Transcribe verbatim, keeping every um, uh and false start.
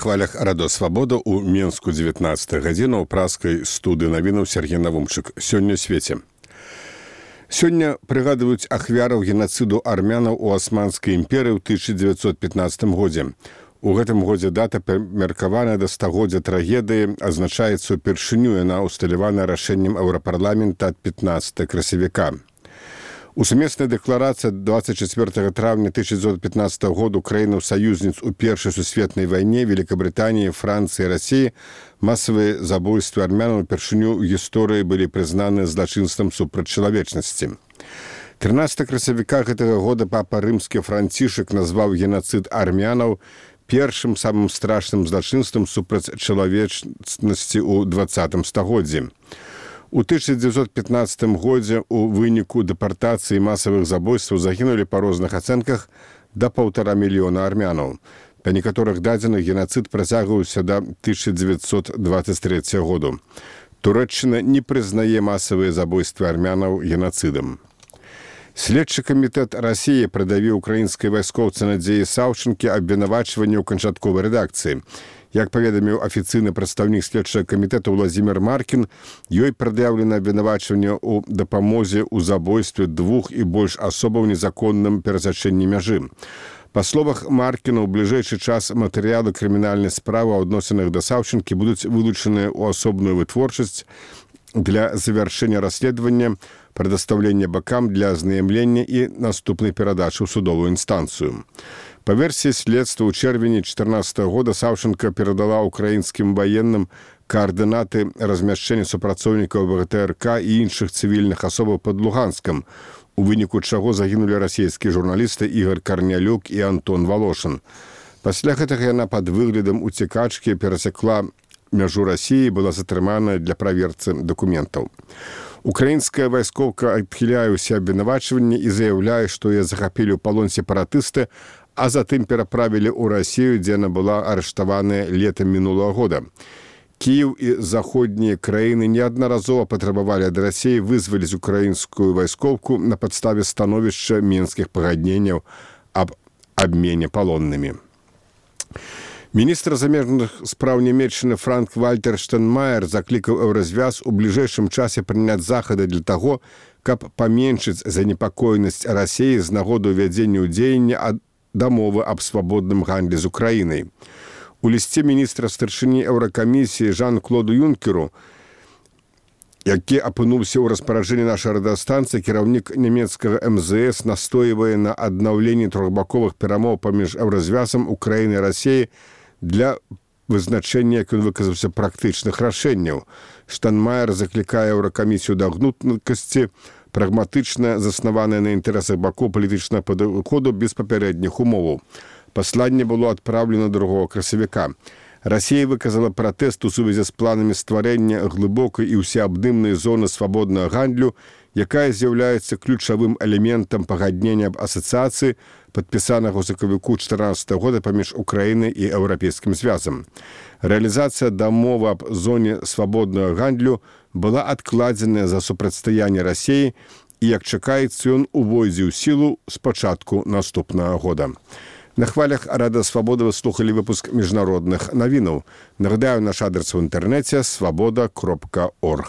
хвалях Радо Свабода ў Менску дзевятнаццатая гадзіна ў праскай студыі навінаў Сергей Навумчык. Сёння ў свеце. Сёння прыгадваюць ахвяраў генацыду армянаў у Асманскай імперыі ў тысяча дзевяцьсот пятнаццатым годзе. У гэтым годзе дата меркаваная да стагоддзя трагедыі азначаецца ўпершыню, яна ўсталявана рашэннем Еўрапарламента ад пятнаццатага красавіка. У сумеснай дэкларацыі двадцать чацвёртага траўня тысяча дзевяцьсот пятнаццатага году краінаў-саюзніц у першай сусветнай вайне Великабрытаніі, Францыі і Расіі масавыя забойствы армянаў упершыню ў гісторыі былі прызнаны злачынствам супраць чалавечнасці. трынаццатага красавіка гэтага года папа рымскі Францішак назваў генацыд армянаў першым самым страшным злачынствам супраць чалавечнасці ў дваццатым стагоддзі. У тысяча дзевяцьсот пятнаццатым годзе ў выніку дэпартацыі масавых забойстваў загінулі па розных ацэнках да паўтара мільёна армянаў. Па некаторых дадзеных генацыд працягваўся да тысяча дзевяцьсот дваццаць трэцяга году. Турэччына не прызнае масавыя забойствы армянаў генацыдам. Следчы камітэт Расіі прыдавіў украінскай вайскоўцы Надзеі Саўчынкі абвінавачванне ў канчатковай рэдакцыі. Як паведаміў афіцыйны прадстаўнік следчага камітэта Владзімір Маркін, ёй прад'яўлена абвінавачванне ў дапамозе ў забойстве двух і больш асобаў незаконным перасячэнні мяжы. Па словах Маркіна, у бліжэйшы час матэрыялы крымінальнай справы ў адносінах да Саўчынкі будуць вылучаныя ў асобную вытворчасць для завяршэння расследавання, прадастаўлення бакам для азнаямлення і наступнай перадачы ў судовую інстанцыю. Па версіі следства ў чэрвені чатырнаццатага года Саўчынка перадала украінскім ваенным каардынаты размяшчэння супрацоўнікаў ВГТРК і іншых цывільных асобаў пад Луганскам, у выніку чаго загінулі расійскія журналісты Ігор Карнялюк і Антон Валошын. Пасля гэтага яна пад выглядам уцекачкі перасекла мяжу Расіі, была затрыманая для праверцы дакументаў. Украінская вайскоўка адхіляе ўсе абвінавачванні і заяўляе, што яе захапілі ў палон сепаратысты, а затым пераправілі ў Расію, дзе яна была арыштаваная летам мінулага года. Кіеў і заходнія краіны неаднаразова патрабавалі ад Расіі вызваліць украінскую вайскоўку на падставе становішча мінскіх пагадненняў аб абмене палоннымі. Міністр замежных спраў Нямецчыны Франк-Вальтер Штайнмаер заклікаў Еўразвяз у бліжэйшым часе прыняць захады для таго, каб паменшыць занепакоенасць Расіі з нагоды ўвядзення ў дзеянне дамовы аб свабодным гандлі з Украінай. У лісце міністра старшыні Еўракамісіі Жан-Клоду Юнкеру, які апынуўся ў распараджэнні нашай радыёстанцыі, кіраўнік нямецкага эм зэ эс настойвае на аднаўленні трохбаковых перамоў паміж Еўразвязам, Украінай і Расіяй для вызначэння, як ён выказаўся, практычных рашэнняў. Штайнмаер заклікае Еўракамісію да гнуткасці, прагматычна заснаваная на інтарэсах бакоў палітычнага падыходу без папярэдніх умоваў. Пасланне было адпраўлена другога красавіка. Расія выказала пратэст у сувязі з планамі стварэння глыбокай і ўсеабдымнай зоны свабоднага гандлю, якая з'яўляецца ключавым элементам пагаднення аб асацыяцыі, падпісанага ў сакавіку чатырнаццатага года паміж Украінай і Еўрапейскім звязам. Рэалізацыя дамовы аб зоне свабоднага гандлю была адкладзеная за супрацьстаянне Расіі і, як чакаецца, ён увойдзе ў сілу з пачатку наступнага года. На хвалях Радыё Свабода вы слухалі выпуск міжнародных навінаў. Нагадаю, наш адрес у інтэрнэце свабода кропка орг.